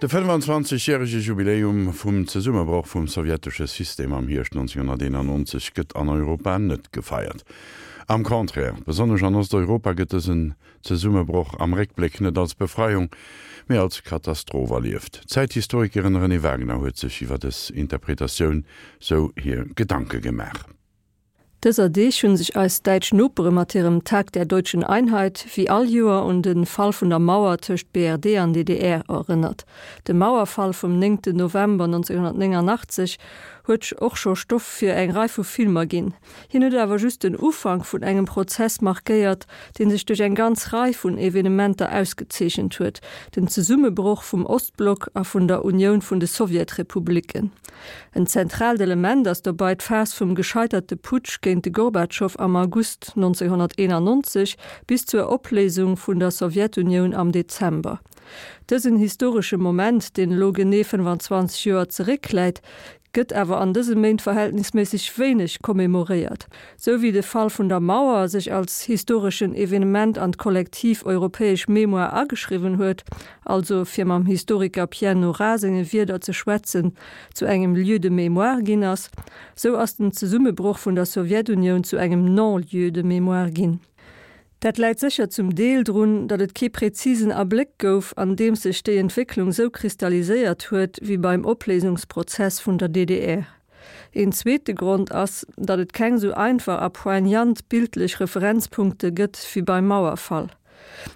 De 25 järege Jubiläum vum Zesummebroch vum sowjetesche System am Hierscht 1991 gëtt an Europa net gefeiert. Am Contraire, besonnesch an Osteuropa gëtt dësen Zesummebroch am Réckbléck net als Befreiung, mee als Katastroph erlieft. D'Zäithistorikerin Renée Wagener huet sech iwwer dës Interpretatioun sou hir Gedanke gemaach. Dëser Deeg hunn sech eis däitsch Nopere mat hirem Tag der deutschen Einheit wéi all Joer un de Fall vun der Mauer tëscht BRD an DDR erënnert. De Mauerfall vum 9 November 1989 huet och scho Stoff fir eng Rei vu Filmer ginn. Hien huet awer just den Ufank vun engem Prozess markéiert, dee sech duerch eng ganz Rei vun Evenementer ausgezeechent huet, den Zesummebroch vum Ostblock a vun der Unioun vun de Sowjetrepubliken. En zentraalt Element ass dobei d'Phas vum gescheiterte Putsch géint de Gorbatschow am August 1991 bis zur Opléisung vun der Sowjetunioun am Dezember. Dësen historesche Moment, deen elo genee 25 Joer zeréckläit, gëtt awer an dëse Méint verhältnisméisseg wéineg commemoréiert. Sou wéi de Fall vun der Mauer sech als historeschen Evenement an d'kollektiv europäesch Mémoire ageschriwwen huet, also, fir mam Historiker Pierre Nora senge Wierder ze schwätzen, zu engem Lieu de mémoire ginn ass, sou ass den Zesummebroch vun der Sowjetunioun zu engem Non-lieu de mémoire ginn. Dat läit sécher zum Deel drun, datt et kee präzisen Abléck gouf, an deem sech déi Entwécklung sou kristalliséiert huet wéi beim Opléisungsprozess vun der DDR. Een zweete Grond ass, datt et keng sou einfach a poignant bildlech Referenzpunkte gëtt wéi beim Mauerfall.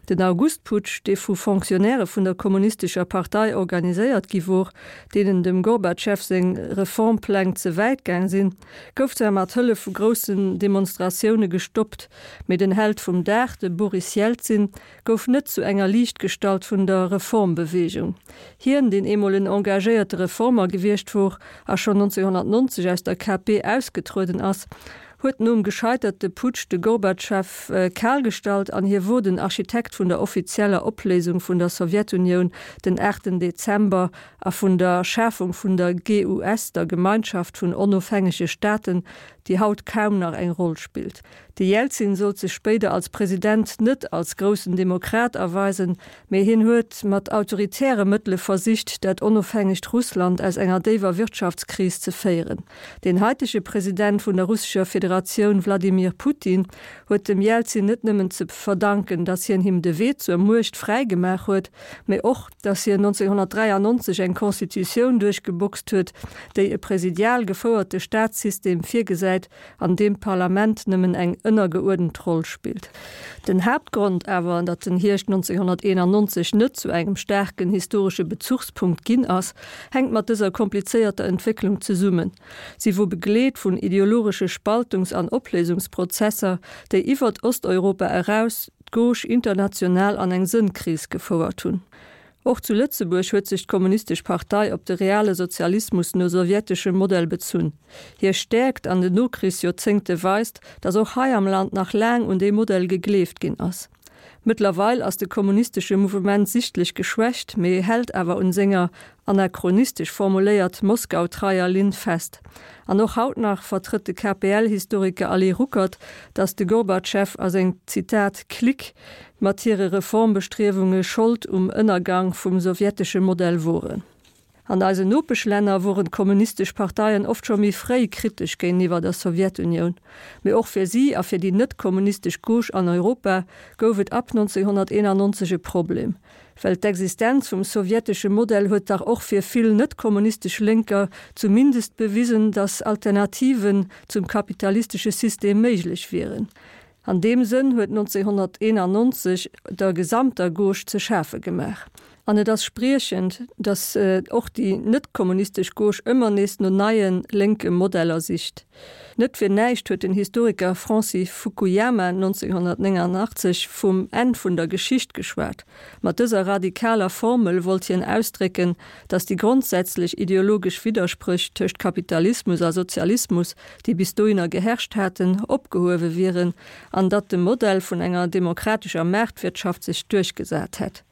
Den Augustputsch, dee vu Fonctionnairë vun der Kommunistescher Partei organiséiert gi wor, deenen dem Gorbatschew seng Reformpläng ze wäit gaang sinn, gouf zwar mat Hëllef vu groussen Demonstratioune gestoppt, mee den Held vum Dag, de Boris Jelzin, gouf net zu enger Liichtgestalt vun der Reformbeweegung. Hien, deen eemol en engagéierte Reformer gewiescht wor a schonn 1990 aus der KP ausgetrueden ass, huet nom gescheiterte Putsch de Gorbatschew kal gestallt an hie wor den Architekt vun der offizieller Opléisung vun der Sowjetunioun den 8 Dezember a vun der Schafung vun der GUS, der Gemeinschaft vun onofhängege Staaten, déi haut kaum nach eng Roll spillt. De Jelzin sollt sech spéider als President net als groussen Demokrat erweisen, mee hien huet mat autoritäre Mëttele versicht, dat onofhängegt Russland aus enger déiwer Wirtschaftskris ze féieren. Den haitege President vun der russescher Federatioun Wladimir Putin huet dem Jelzin net nëmmen ze verdanken, datt hien him de Wee zur Muecht fräi gemaach huet, mee och, datt hien 1993 eng Constitutioun duerchgeboxt huet, déi e presidial gefouerte Staatssystem virgesäit, an deem d'Parlament nëmmen eng ënnergeuerdent Roll spillt. Den Haaptgrond awer, datt den Hierscht 1991 net zu engem staarken historesche Bezuchspunkt ginn ass, hänkt mat dëser komplizéierter Entwécklung zesummen. Si wor begleet vun ideologesche Spaltungs an Opléisungsprozesser, déi iwwert Osteuropa eraus d'Gauche international an eng Sënnkris gefouert hunn. Och zu Lëtzebuerg huet sech d'Kommunistesch Partei op de reale Sozialismus no sowjeteschem Modell bezunn. Hir Stäerkt an den Nokrichsjoerzéngte weist, datt och hei am Land nach laang un dee Modell gegleeft ginn ass. Mëttlerweil ass de kommunistesche Mouvement sichtlech geschwächt, mee hält awer un senger, anachronistesch formuléiert, Moskau-treier Linn fest. An och haut nach vertrëtt de KPL-Historiker Ali Ruckert, datt de Gorbatschew a seng, Zitat, Clique mat hire Reformbestriewunge Schold um Ënnergang vum sowjetesche Modell woren. An eisen Nopeschlänner woren d'kommunistesch Parteien oft scho méi fréi kritesch géintiwwer der Sowjetunioun. Mee och fir si a fir déi net-kommunistesch Gauche an Europa gouf et ab 1991 e Problem. Well d'Existenz vum sowjetesche Modell huet dach och fir vill net-kommunistesch Lénker zumindest bewisen, datt Alternativen zum kapitalistesche System méiglech wieren. An deem Sënn huet 1991 der gesamter Gauche ze schafe gemaach. An et ass spriechend, datt och déi net-kommunistesch Gauche ëmmer nees no neie lénke Modeller sicht. Net fir näischt huet den Historiker Francis Fukuyama 1989 vum Enn vun der Geschicht geschwat. Mat dëser radikaler Formel wollt hien ausdrécken, datt déi grondsätzlech ideologesch Widderspréch tëscht Kapitalismus a Sozialismus, déi bis dohinner geherrscht haten, opgehuewe wieren an datt de Modell vun enger demokratescher Maartwirtschaft sech duerchgesat hätt.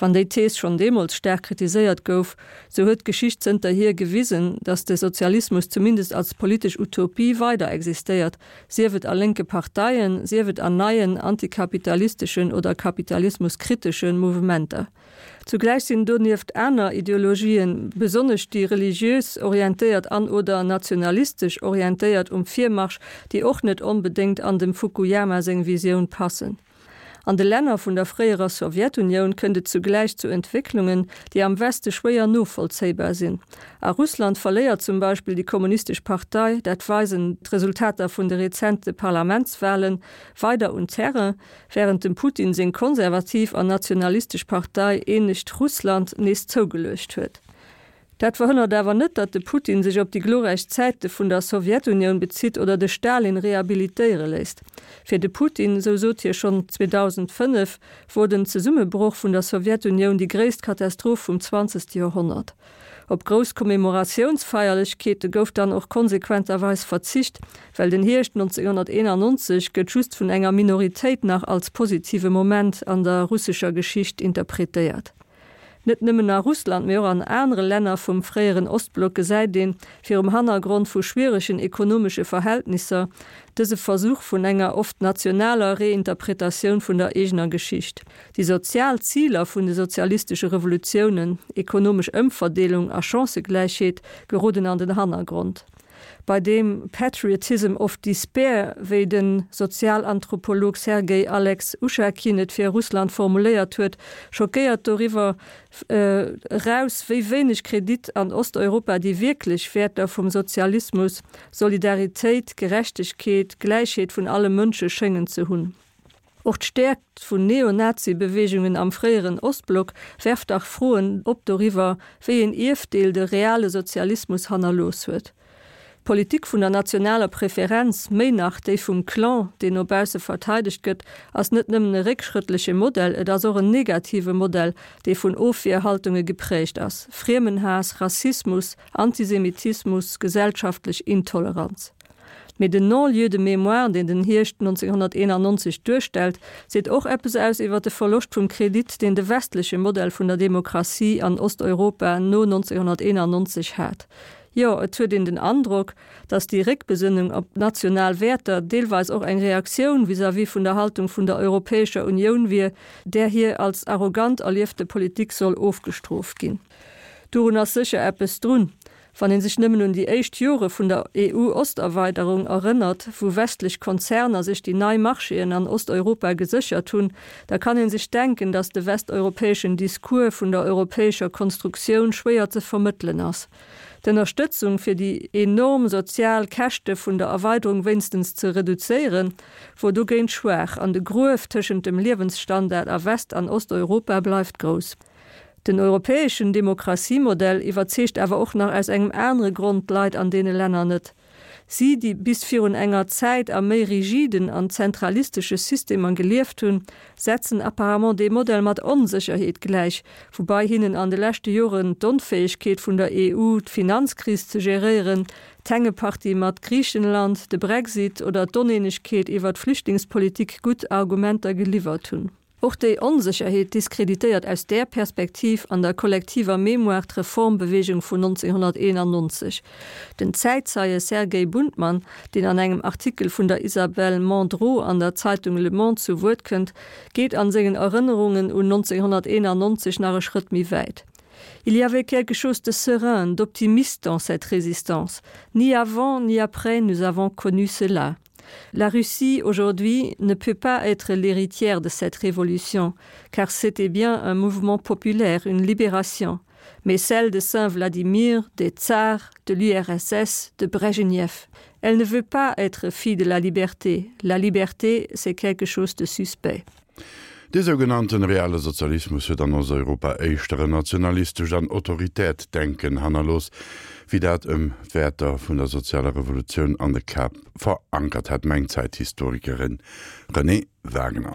Wann déi Thees schonn deemools staark kritiséiert gouf, sou huet d'Geschicht zënterhier gewisen, datt de Sozialismus zumindest als politesch Utopie weider existéiert, sief et a lénke Parteien, sief et an neien antikapitalisteschen oder kapitalismuskritesche Mouvementer. Zugläich sinn donieft aner Ideologien, besonnesch déi religiös orientéiert an oder nationalistesch orientéiert, um Virmarsch, déi och net onbedéngt an dem Fukuyama seng Visioun passen. An de Länner vun der fréierer Sowjetunioun kënnt et zugläich zu Entwécklungen, déi am Weste schwéier novollzéibar sinn. A Russland verléiert zum Beispill déi kommunistesch Partei, dat weisen d'Resultater vun de rezente Parlamentswalen, weider un Terrain, wärend dem Putin seng konservativ an nationalistesch Partei Eenegt Russland nees zougeluecht huet. Dat verhënnert awer net, datt de Putin sech op déi glorräich Zäite vun der Sowjetunioun bezitt oder de Stalin rehabilitéiere léisst. Fir de Putin, esou sot hie schonn 2005, wor den Zesummebroch vun der Sowjetunioun déi gréisst Katastroph vum zwanzegste Joerhonnert. Op grouss Commemoratiounsfeierlechkeete gouf dann och konsequenterweis verzicht, well den Hierscht 1991 gëtt just vun enger Minoritéit nach als positive Moment an der russescher Geschicht interpretéiert. Net nëmmen a Russland, mee och an anere Länner vum fréieren Ostblock gesäit een, virum Hannergrond vu schwieregen ekonomesche Verhältnisser, dëse Versuch vun enger oft nationaler Reinterpretatioun vun der eegener Geschicht. Déi sozial Ziler vun de sozialistesche Revolutiounen, ekonomesch Ëmverdeelung a Chancëgläichheet, geroden an den Hannergrond. Bei deem Patriotism of Despair, wéi de Sozialanthropolog Sergei Alex Uschakin et fir Russland formuléiert huet, schockéiert doriwwer eraus, wéi wéineg Kredit an Osteuropa déi wierklech Wäerter vum Sozialismus, Solidaritéit, Gerechtegkeet, Gläichheet vun alle Mënsche schéngen ze hunn. Och d'Stäerkt vun Neonazi-Beweegungen am fréieren Ostblock werft dach Froen op doriwwer, wéi een Ierfdeel de reale Sozialismus hannerlooss huet. D'Politik vun der nationaler Preferenz, méi nach déi vum Clan, deen no bausse verteidegt gëtt, ass net nëmmen e réckschrëttleche Modell, et ass och en negative Modell, dee vun Ofwierhaltunge geprägt ass, Friemenhaass, Rassismus, Antisemitismus, gesellschaftlech Intoleranz. Mee den Non-lieu de mémoire, deen den Hierscht 1991 duerstellt, seet och eppes aus iwwer de Verloscht vum Kredit, deen de westleche Modell vun der Demokratie an Osteuropa no 1991 hat. Jo, et huet een den Androck, datt déi Réckbesënnung op national Wäerter deelweis och eng Reaktioun vis-à-vis vun der Haltung vun der Europäescher Unioun wier, där hir als arrogant erliefte Politik soll ofgestrooft ginn. Dorun ass sécher eppes drun. Wann ee sech nëmmen un déi éischt Jore vun der EU-Osterweiderung erënnert, wou westlech Konzerner sech déi nei Marchéen an Osteuropa geséchert hunn, da kann ee sech denken, datt de westeuropäeschen Discours vun der europäescher Konstruktioun schwéier ze vermëttelen ass. D'Ënnerstëtzung, fir déi enorm sozial Käschte vun der Erweiderung wéinstens ze reduzéieren, wor dogéint schwaach an de Gruef tëschent dem Liewensstandard a West an Osteuropa bleift grouss. Den europäeschen Demokratiemodell iwwerzeegt awer och nach aus engem anere Grond d'Leit an deene Länner net. Si, déi bis virun enger Zäit a méi rigiden an zentralistesche Systemer gelieft hunn, setzen apparemment dee Modell mat Onsécherheet gläich, woubai hinnen an de leschte Joren d'Onfäegkeet vun der EU, d'Finanzkris ze geréieren, d'Hängepartie mat Griichenland, de Brexit oder d'Oneenegkeet iwwer d'Flüchtlingspolitik gutt Argumenter geliwwert hunn. Och déi Onsécherheet diskreditéiert aus där Perspektiv an der kollektiver Mémoire d'Reformbewegung vun 1991. Den Zäitzeie Sergei Buntmann, deen an engem Artikel vun der Isabelle Mandrot an der Zeitung Le Monde zu Wuert kënnt, geet an sengen Erënnerungen un 1991 nach e Schrëtt méi wäit. Il y avait quelque chose de serein, d'optimiste dans cette résistance. Ni avant ni après nous avons connu cela. La Russie aujourd'hui ne peut pas être l'héritière de cette révolution, car c'était bien un mouvement populaire, une libération, mais celle de Saint-Vladimir, des tsars, de l'URSS, de Brejnev. Elle ne veut pas être fille de la liberté. La liberté, c'est quelque chose de suspect. Dee sougenannten reale Sozialismus huet an Osteuropa éischter en nationalistescht an autoritäert Denken hannerlooss, wéi dat ëm d'Wäerter vun der sozialer Revolutioun an de Käpp verankert hat, mengt d'Zäithistorikerin Renée Wagener.